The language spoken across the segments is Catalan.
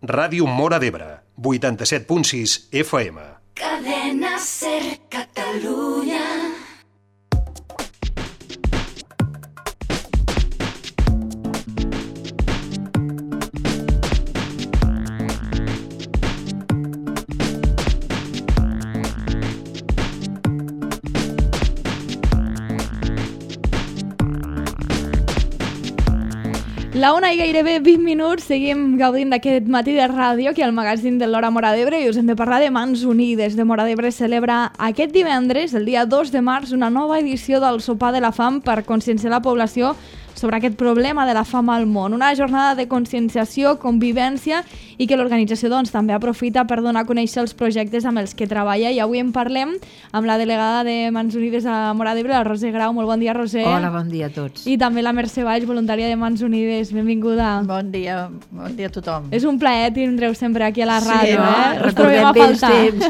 Ràdio Móra d'Ebre, 87.6 FM. Cadena Ser Catalunya. La una i gairebé 20 minuts, seguim gaudint d'aquest matí de ràdio aquí al magazín de l'Hora Móra d'Ebre i us hem de parlar de Mans Unides. De Móra d'Ebre celebra aquest divendres, el dia 2 de març, una nova edició del Sopar de la Fam per conscienciar la població sobre aquest problema de la fam al món. Una jornada de conscienciació, convivència i que l'organització també aprofita per donar a conèixer els projectes amb els que treballa. I avui en parlem amb la delegada de Mans Unides a Móra d'Ebre, la Roser Grau. Molt bon dia, Roser. Hola, bon dia a tots. I també la Mercè Valls, voluntària de Mans Unides. Benvinguda. Bon dia a tothom. És un plaer tindreu sempre aquí a la ràdio. Recordem vells temps.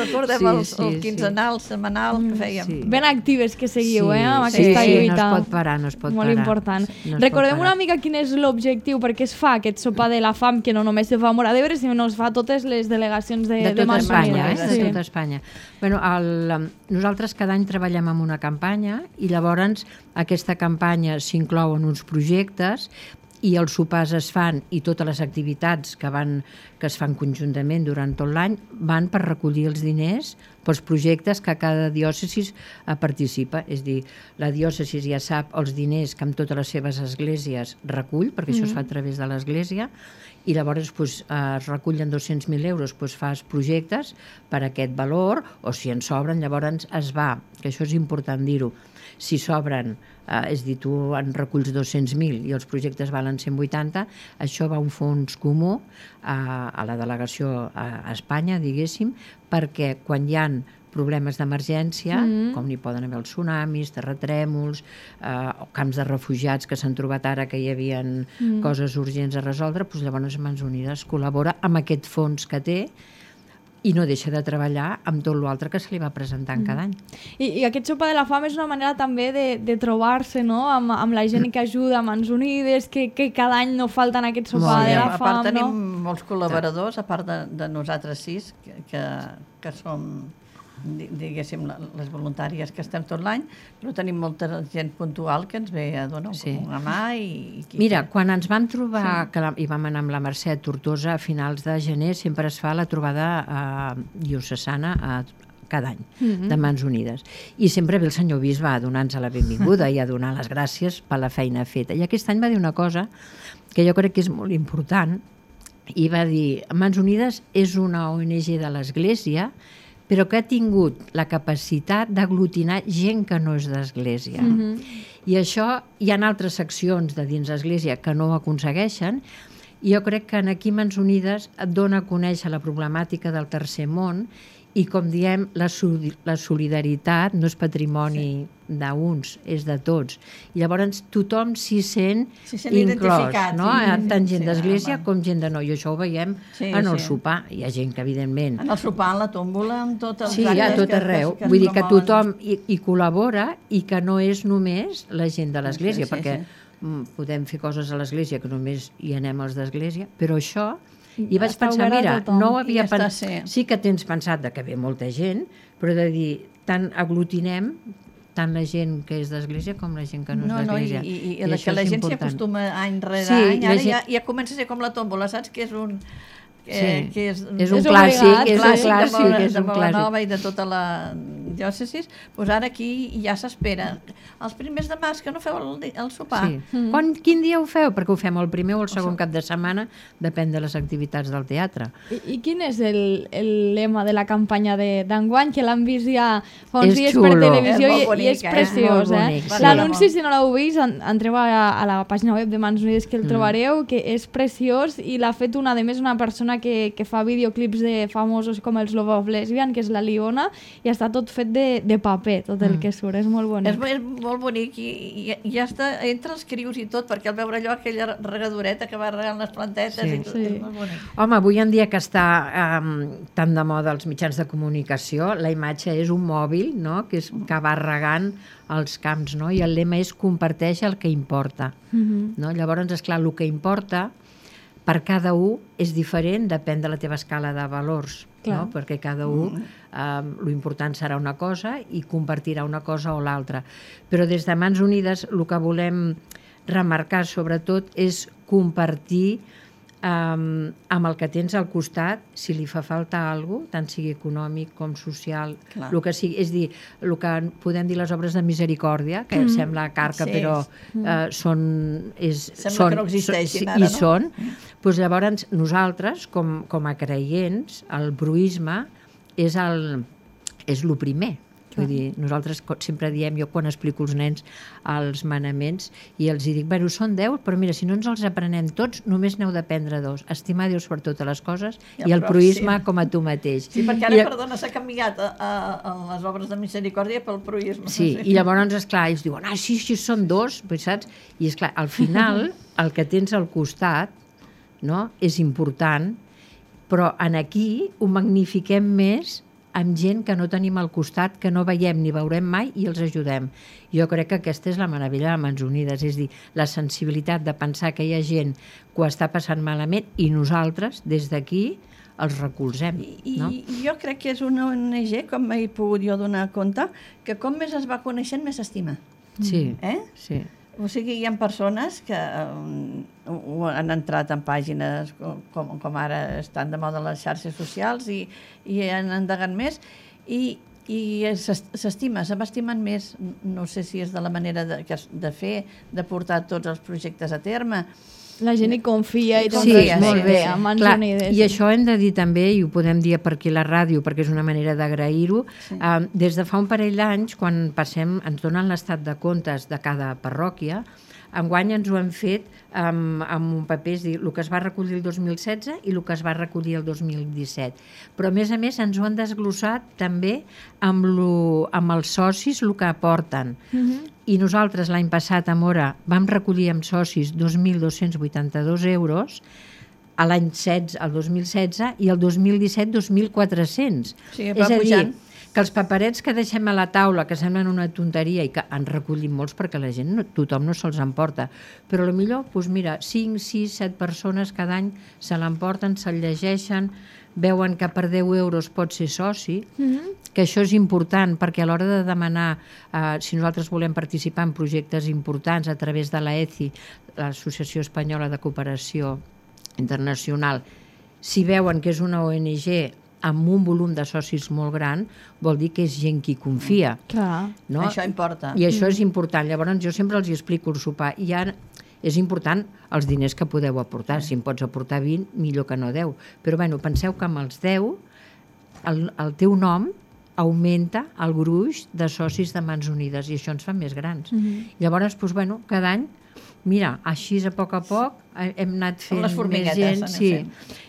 Recordem el quinzenal, setmanal que fèiem. Sí. Ben actives que seguiu, amb aquesta lluita. No es pot parar, no es pot Molt parar. important. Recordem una mica quin és l'objectiu, perquè es fa aquest sopar de la fam, que no només se fa a Móra d'Ebre, sinó es fa a totes les delegacions de tota Mans Espanya, Unides. de tota Espanya. Bueno, nosaltres cada any treballem amb una campanya i llavors aquesta campanya s'inclou en uns projectes i els sopars es fan i totes les activitats que es fan conjuntament durant tot l'any van per recollir els diners pels projectes que cada diòcesi participa. És a dir, la diòcesi ja sap els diners que amb totes les seves esglésies recull, perquè això es fa a través de l'església, i llavors es recullen 200.000 euros, fas projectes per aquest valor, o si en sobren, llavors es va, que això és important dir-ho, si sobren, és a dir, tu en reculls 200.000 i els projectes valen 180, això va a un fons comú a la delegació a Espanya, diguéssim, perquè quan hi ha problemes d'emergència, com n'hi poden haver els tsunamis, terratrèmols, camps de refugiats que s'han trobat ara que hi havia coses urgents a resoldre, doncs llavors Mans Unides col·labora amb aquest fons que té i no deixa de treballar amb tot l'altre que se li va presentant cada any. I aquest sopar de la fam és una manera també de trobar-se, no?, amb la gent que ajuda a Mans Unides, que cada any no falta en aquest sopar de la fam. A part tenim molts col·laboradors, a part de nosaltres 6, que som, diguéssim, les voluntàries que estem tot l'any, però tenim molta gent puntual que ens ve a donar una mà. Mira, quan ens vam trobar, i vam anar amb la Mercè a Tortosa a finals de gener, sempre es fa la trobada diocesana cada any, de Mans Unides. I sempre ve el senyor bisbe a donar-nos la benvinguda i a donar les gràcies per la feina feta. I aquest any va dir una cosa que jo crec que és molt important, i va dir: Mans Unides és una ONG de l'Església, però que ha tingut la capacitat d'aglutinar gent que no és d'Església. I això, hi ha altres seccions de dins l'Església que no ho aconsegueixen, i jo crec que aquí Mans Unides et dona a conèixer la problemàtica del tercer món, i com diem, la solidaritat no és patrimoni d'uns, és de tots. I llavors tothom s'hi sent inclòs, no? Tant gent d'església com gent de no. I això ho veiem en el sopar. Hi ha gent que, evidentment... En el sopar, en la tómbola, en tots els actes... Sí, a tot arreu. Vull dir que tothom hi col·labora i que no és només la gent de l'església, perquè podem fer coses a l'església que només hi anem els d'església, però això... I vaig pensar, mira, no ho havia pensat... Sí que tens pensat que ve molta gent, però de dir, tant aglutinem tant la gent que és d'església com la gent que no és d'església. I que la gent s'hi acostuma any rere any, ara ja comença a ser com la tómbola, saps? Que és un... és un clàssic, de Molanova i de tota la diòcesi, doncs ara aquí ja s'espera. Els primers de març que no feu el sopar. Quin dia ho feu? Perquè ho fem el primer o el segon cap de setmana, depèn de les activitats del teatre. I quin és el lema de la campanya d'enguany, que l'han vist ja fa uns dies per televisió i és preciós. L'anunci, si no l'heu vist, entreu a la pàgina web de Mans Unides que el trobareu, que és preciós, i l'ha fet una persona que fa videoclips de famosos com els Love of Lesbian, que és la Liona, i està tot fet de paper, tot el que surt, és molt bonic. És molt bonic i ja està entre els crius i tot, perquè al veure allò, aquella regadoreta que va regant les plantetes i tot, és molt bonic. Home, avui en dia que està tan de moda els mitjans de comunicació, la imatge és un mòbil, no?, que va regant els camps, no?, i el lema és comparteix el que importa. No? Llavors, esclar, el que importa per cada un és diferent, depèn de la teva escala de valors, no? Perquè cada un l'important serà una cosa i compartirà una cosa o l'altra. Però des de Mans Unides el que volem remarcar sobretot és compartir amb el que tens al costat, si li fa falta alguna cosa, tant sigui econòmic com social, el que sigui, és dir, el que podem dir les obres de misericòrdia, que sembla carca, però sembla que no existeixin ara, no? I són. Doncs llavors nosaltres, com a creients, el bruisme és el primer. Vull dir, nosaltres sempre diem, jo quan explico als nens els manaments, i els dic, bueno, són 10, però mira, si no ens els aprenem tots, només n'heu d'aprendre 2. Estimar Déu per totes les coses i el proïsme com a tu mateix. Sí, perquè ara, perdona, s'ha canviat les obres de misericòrdia pel proïsme. Sí, i llavors, esclar, ells diuen, sí, són 2, saps? I esclar, al final, el que tens al costat, no?, és important, però aquí ho magnifiquem més amb gent que no tenim al costat, que no veiem ni veurem mai i els ajudem. Jo crec que aquesta és la meravella de Mans Unides, és dir, la sensibilitat de pensar que hi ha gent que ho està passant malament i nosaltres, des d'aquí, els recolzem. No? I jo crec que és una ONG, com m'he pogut jo donar compte, que com més es va coneixent, més s'estima. Sí, sí. O sigui, hi ha persones que han entrat en pàgines com ara estan de moda les xarxes socials i han endegat més i s'estima, se m'estimen més. No sé si és de la manera de fer, de portar tots els projectes a terme. La gent hi confia i té un respecte a Mans Unides. I això hem de dir també, i ho podem dir per aquí a la ràdio, perquè és una manera d'agrair-ho, des de fa un parell d'anys, quan ens donen l'estat de comptes de cada parròquia, enguany ens ho hem fet amb un paper, és dir, el que es va recollir el 2016 i el que es va recollir el 2017. Però, a més, ens ho han desglossat també amb els socis el que aporten. I nosaltres l'any passat a Móra vam recollir amb socis 2.282 euros, l'any 2016 i el 2017 2.400. Sí, va pujant. Que els paperets que deixem a la taula, que semblen una tonteria i que en recollim molts perquè la gent, tothom no se'ls emporta, però potser, doncs mira, 5, 6, 7 persones cada any se l'emporten, se'l llegeixen, veuen que per 10 euros pot ser soci, que això és important perquè a l'hora de demanar, si nosaltres volem participar en projectes importants a través de l'AECI, l'Associació Espanyola de Cooperació Internacional, si veuen que és una ONG amb un volum de socis molt gran, vol dir que és gent qui confia. No? Això importa. I això és important. Llavors jo sempre els explico el sopar. I ara és important els diners que podeu aportar. Si em pots aportar 20, millor que no 10. Però penseu que amb els 10 el teu nom augmenta el gruix de socis de Mans Unides i això ens fa més grans. Llavors, cada any, mira, així a poc hem anat fent més gent. Sí.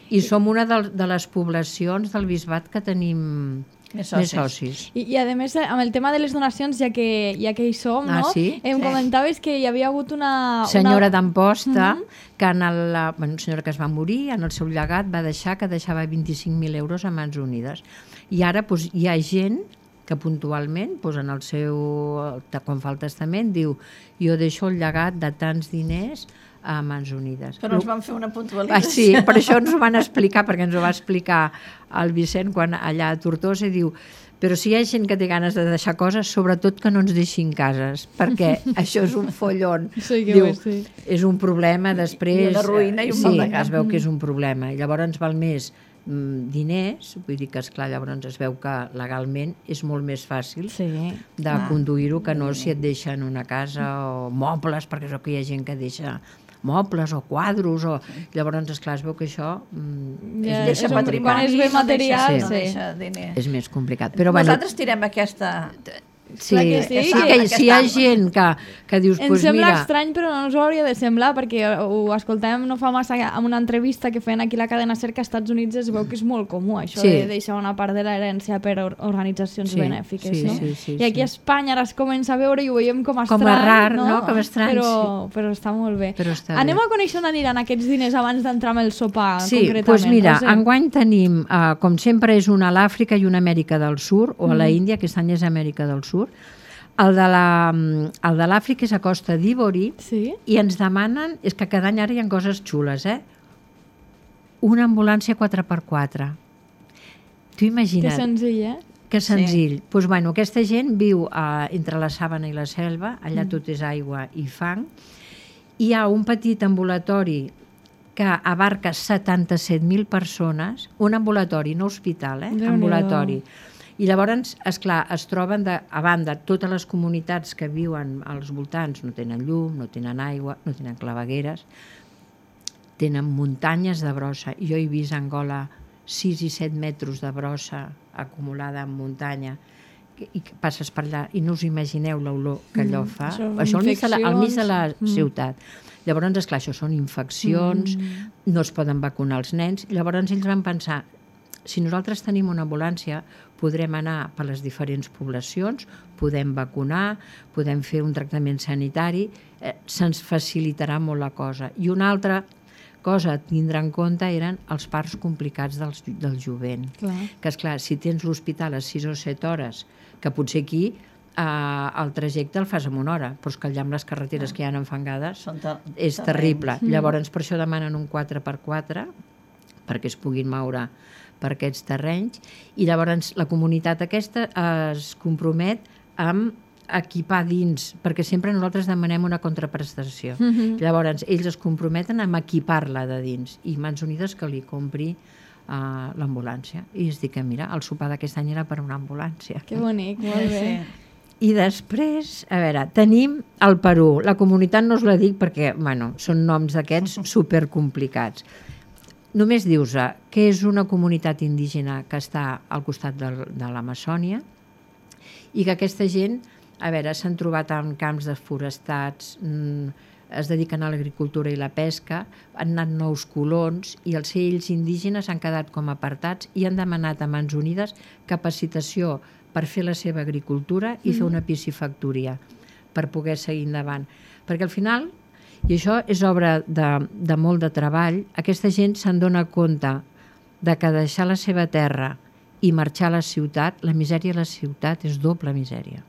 I som una de les poblacions del Bisbat que tenim més socis. I a més, amb el tema de les donacions, ja que hi som, no? Em comentaves que hi havia hagut una senyora d'Amposta, que una senyora que es va morir, en el seu llegat va deixar que deixava 25.000 euros a Mans Unides. I ara hi ha gent que puntualment, en el seu, quan fa el testament, diu jo deixo el llegat de tants diners a Mans Unides. Però ens van fer una puntualització. Sí, per això ens ho van explicar, perquè ens ho va explicar el Vicent quan allà a Tortosa, i diu, però si hi ha gent que té ganes de deixar coses, sobretot que no ens deixin cases, perquè això és un follon. Diu, és un problema després. I una ruïna i un maldegà. Es veu que és un problema. I llavors ens val més diners, vull dir que esclar, llavors es veu que legalment és molt més fàcil de conduir-ho que no si et deixen una casa o mobles, perquè és que hi ha gent que deixa mobles o quadros, llavors, esclar, es veu que això deixa patrimoni, quan és bé material, no deixa diner. És més complicat. Nosaltres tirem aquesta... Sí, si hi ha gent que dius, em sembla estrany, però no us ho hauria de semblar, perquè ho escoltàvem no fa massa en una entrevista que feien aquí a la cadena SER, que als Estats Units es veu que és molt comú això de deixar una part de l'herència per organitzacions benèfiques. I aquí a Espanya ara es comença a veure i ho veiem com a estrany. Com a rar, no? Com a estrany, però està molt bé. Anem a conèixer on aniran aquests diners abans d'entrar amb el sopar, concretament. Doncs mira, enguany tenim, com sempre, és una a l'Àfrica i una a Amèrica del Sud, o a la Índia, aquest any és Amèrica del Sud. El de l'Àfrica és a Costa d'Ivori i ens demanen, és que cada any ara hi ha coses xules, una ambulància 4x4. Tu imagina't. Que senzill, eh? Que senzill. Doncs, bueno, aquesta gent viu entre la Sàbana i la Selva, allà tot és aigua i fang. Hi ha un petit ambulatori que abarca 77.000 persones, un ambulatori, no hospital, ambulatori. I llavors, esclar, es troben a banda totes les comunitats que viuen als voltants, no tenen llum, no tenen aigua, no tenen clavegueres, tenen muntanyes de brossa. Jo he vist a Angola 6 i 7 metres de brossa acumulada en muntanya, i passes per allà i no us imagineu l'olor que allò fa. Això al mig de la ciutat. Llavors, esclar, això són infeccions, no es poden vacunar els nens. Llavors ells van pensar, si nosaltres tenim una ambulància, podrem anar per les diferents poblacions, podem vacunar, podem fer un tractament sanitari, se'ns facilitarà molt la cosa. I una altra cosa a tindre en compte eren els parts complicats del jovent. Que, esclar, si tens l'hospital a 6 o 7 hores, que potser aquí el trajecte el fas en una hora, però és que allà amb les carreteres que hi ha enfangades és terrible. Llavors, per això demanen un 4x4 perquè es puguin moure per aquests terrenys, i llavors la comunitat aquesta es compromet amb equipar dins, perquè sempre nosaltres demanem una contraprestació. Llavors ells es comprometen amb equipar-la de dins, i Mans Unides que li compri l'ambulància. I es dic que mira, el sopar d'aquest any era per una ambulància. Que bonic, molt bé. I després, a veure, tenim el Perú. La comunitat no us la dic perquè, bueno, són noms d'aquests supercomplicats. Només dius que és una comunitat indígena que està al costat de l'Amazònia i que aquesta gent, a veure, s'han trobat en camps desforestats, es dediquen a l'agricultura i la pesca, han anat nous colons i els ells indígenes han quedat com apartats i han demanat a Mans Unides capacitació per fer la seva agricultura i fer una piscifactoria per poder seguir endavant. Perquè al final, i això és obra de molt de treball, aquesta gent se'n dona compte de que deixar la seva terra i marxar a la ciutat, la misèria a la ciutat és doble misèria.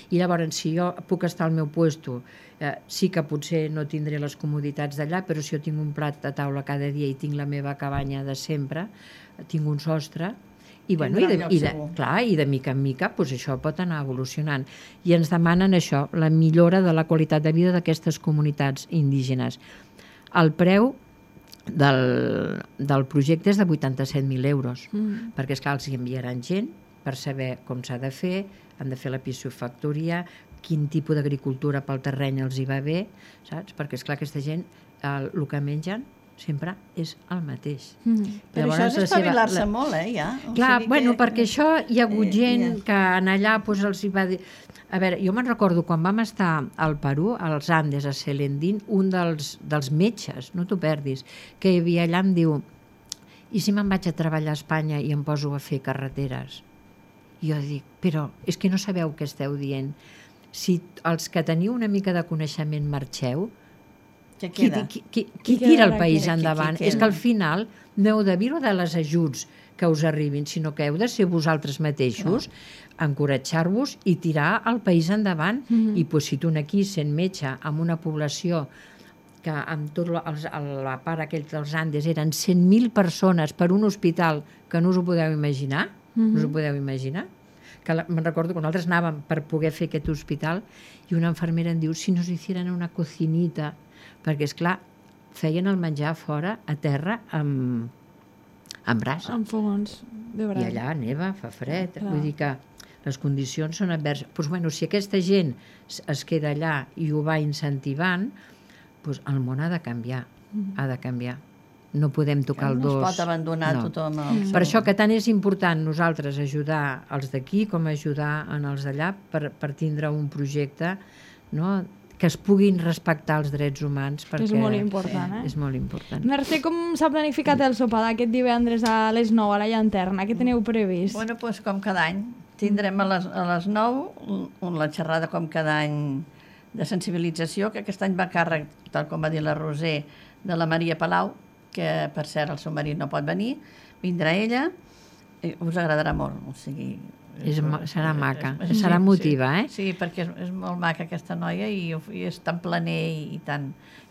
I llavors, si jo puc estar al meu puesto, sí que potser no tindré les comoditats d'allà, però si jo tinc un plat de taula cada dia i tinc la meva cabanya de sempre, tinc un sostre, i de mica en mica això pot anar evolucionant. I ens demanen això, la millora de la qualitat de vida d'aquestes comunitats indígenes. El preu del projecte és de 87.000 euros, perquè esclar, els hi enviaran gent per saber com s'ha de fer, han de fer la piscifactoria, quin tipus d'agricultura pel terreny els hi va bé, saps? Perquè esclar, aquesta gent el que mengen sempre és el mateix. Però això és espavilar-se molt, ja. Clar, bueno, perquè això hi ha hagut gent que allà els hi va dir... A veure, jo me'n recordo quan vam estar al Perú, als Andes, a Selendín, un dels metges, no t'ho perdis, que hi havia allà em diu, i si me'n vaig a treballar a Espanya i em poso a fer carreteres? I jo dic, però és que no sabeu què esteu dient. Si els que teniu una mica de coneixement marxeu, qui tira el país endavant? És que al final no heu de viure de les ajuts que us arribin, sinó que heu de ser vosaltres mateixos, encoratjar-vos i tirar el país endavant. I si tu aquí, sent metge, amb una població que amb tot la part aquell dels Andes eren 100.000 persones per un hospital que no us ho podeu imaginar, me'n recordo que nosaltres anàvem per poder fer aquest hospital i una infermera em diu, si nos hicieran una cocinita, perquè, esclar, feien el menjar fora, a terra, amb brasa. Amb fogons de brasa. I allà neva, fa fred. Vull dir que les condicions són adverses. Doncs, bueno, si aquesta gent es queda allà i ho va incentivant, doncs el món ha de canviar. Ha de canviar. No podem tocar el dos. No es pot abandonar tothom. Per això que tant és important nosaltres ajudar els d'aquí com ajudar en els d'allà per tindre un projecte, no?, que es puguin respectar els drets humans, perquè és molt important, és molt important. Mercè, com s'ha planificat el sopar d'aquest divendres a les 9 a la llanterna? Què teniu previst? Bueno, doncs com cada any. Tindrem a les 9 la xerrada com cada any de sensibilització, que aquest any va a càrrec, tal com va dir la Roser, de la Maria Palau, que per cert el seu marit no pot venir, vindrà ella, us agradarà molt, o sigui... Serà maca, serà emotiva, Sí, perquè és molt maca aquesta noia i és tan planer i tant...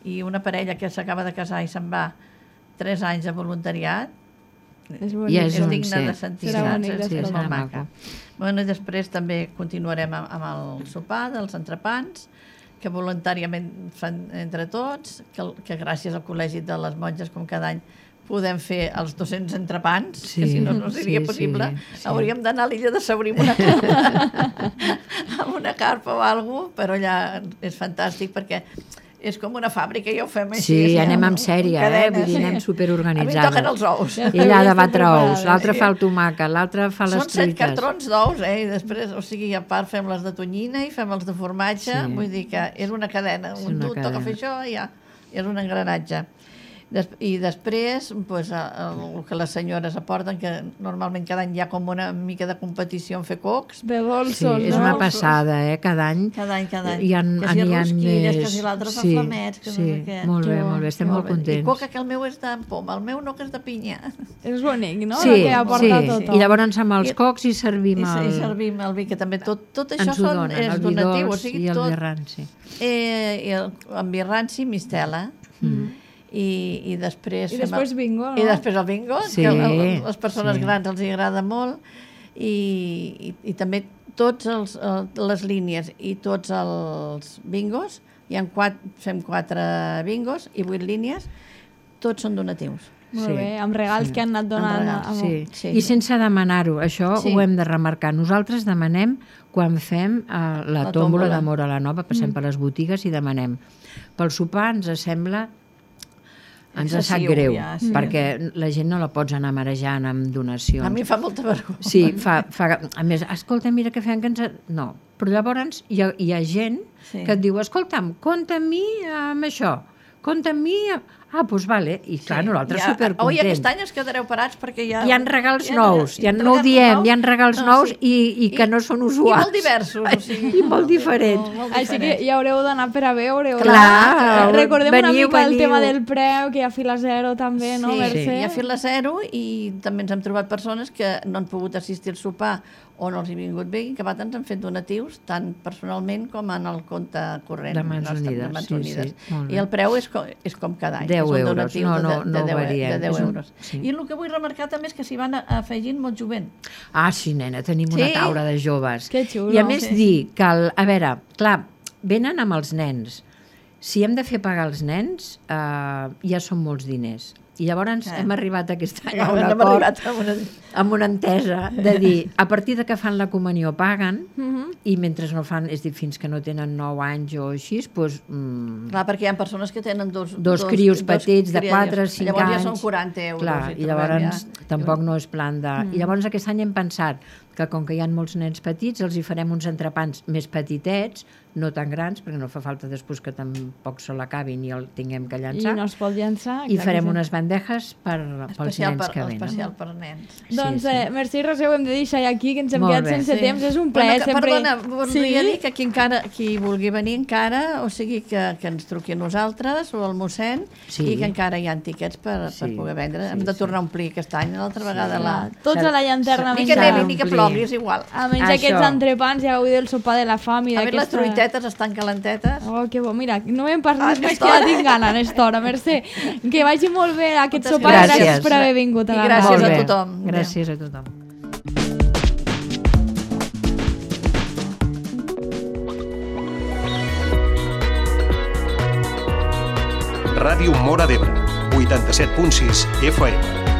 I una parella que s'acaba de casar i se'n va 3 anys de voluntariat, És Ja bonic. és digne de sentir, Serà saps? bonic És d'escoltar. molt serà maca. maco. Bueno, i després també continuarem amb el sopar dels entrepans, que voluntàriament fan entre tots, que gràcies al Col·legi de les Monges, com cada any, podem fer els 200 entrepans, Sí, que si no, no seria sí, possible. sí. Hauríem d'anar a l'illa de Saurí amb una carpa, amb una carpa o alguna cosa, però allà és fantàstic perquè és com una fàbrica, ja ho fem així. Sí, anem en sèrie, vull dir, anem A mi superorganitzades. em toquen els ous. Ella ha de batre ous, l'altre Sí. fa el tomàquet, l'altre fa les Són 7 truites. cartrons d'ous, i després, o sigui, a part fem les de tonyina i fem els de formatge, Sí. vull dir que és una cadena. És Un una tu toca cadena. fer això i ja, és un engranatge. I després, pues, el que les senyores aporten, que normalment cada any hi ha com una mica de competició en fer cocs, De Sí, dolços, és no? una passada, cada any. cada any. Hi ha, que si n'hi ha rosquilles, més. que si l'altre fa Sí, flamets, que sí, no sé què. molt Que bé, bo, molt bé, estem molt I contents. coca, que el meu és de poma, el meu no, que és de pinya. És bonic, no? Sí, El que aporta sí. tothom. I llavors amb els cocs hi servim I el... servim el vi, que també tot això Ens ho donen, és el vi donatiu, o dolç sigui, i el tot, vi ranci. i amb vi ranci, mistela, i després... I després bingo, no? I després el bingo, Sí, que a les persones sí. grans els hi agrada molt, i també tots les línies i tots els bingos, fem 4 bingos i 8 línies, tots són donatius. Molt Sí, bé, amb regals que han anat donant. regals, Sí. Sí, I sí. sense demanar-ho, això Sí. ho hem de remarcar. Nosaltres demanem quan fem la tòmbola d'amor a la nova, passem per les botigues i demanem. Pel sopar ens sembla... Ens sap Excessiu, greu, ja, sí. perquè la gent no la pots anar marejant amb donacions. A mi fa molta vergonya. Sí, a més, escolta, mira que fem que ens... No, però llavors hi ha gent Sí. que et diu, escolta'm, compta amb mi amb això, compta amb mi... Ah, doncs vale, i clar, nosaltres supercontents. Oi, aquest any es quedareu parats perquè ja... Hi ha regals nous, no ho diem, hi ha regals nous i que no són usuals. I molt diversos, o sigui... I molt diferents. Així que hi haureu d'anar per a veure. Clar, Recordem una veniu, mica el veniu. tema del preu, que hi ha fila zero també, no, Sí, Mercè? hi ha fila zero i també ens hem trobat persones que no han pogut assistir al sopar o no els hi ha vingut bé i que ens han fet donatius tant personalment com en el compte corrent. De Mans nostre, Unides, de Mans sí, Unides. sí, molt bé. I el preu és com cada any. 10 és un euros, donatiu no de 10, variem. de 10 És un- euros. sí. I el que vull remarcar també és que s'hi van afegint molt jovent. Ah, sí, nena, tenim una Sí? taula de joves. Que xulo. I a més Sí. dir que, a veure, clar, venen amb els nens. Si hem de fer pagar els nens, ja són molts diners. I llavors hem arribat aquest any a un Hem acord arribat a una... amb una entesa de dir, a partir de que fan la comunió paguen i mentre no fan, és dir, fins que no tenen 9 anys o així, doncs... Clar, perquè hi ha persones que tenen dos crios petits de 4 o 5 llavors anys. ja són 40 euros. Clar, i llavors tampoc no és plan de... I llavors aquest any hem pensat que com que hi ha molts nens petits, els hi farem uns entrepans més petitets, no tan grans, perquè no fa falta després que tampoc se l'acabin i el tinguem que I llançar. no es pot llançar. I clar farem que sí. unes bandejes pels nens que venen. Especial per nens. Doncs, Sí, sí. Mercè i Roser, ho hem de deixar aquí, que ens hem Molt quedat bé. sense temps. És un plaer, sempre... Perdona, voldria dir que qui vulgui venir encara, o sigui, que ens truqui a nosaltres o al mossèn, Sí. i que encara hi ha tiquets per poder vendre. Hem de tornar a omplir aquest any, l'altra vegada la... Tots a la llanterna. Ni que menjar. nevi, ni que plogui, és igual. A menys Això. aquests entrepans, ja gaudir del sopar de la fam i A veure, les d'aquesta... truitetes estan calentetes. Oh, que bo. Mira, no hem parlat més, que aquesta ja hora. tinc gana, Nesta hora. Mercè, que vagi molt bé aquest Moltes sopar. gràcies. Gràcies per haver vingut a I la gràcies Molt ràdio. a bé. tothom. Gràcies a tothom. Ràdio Móra d'Ebre, 87.6 FM.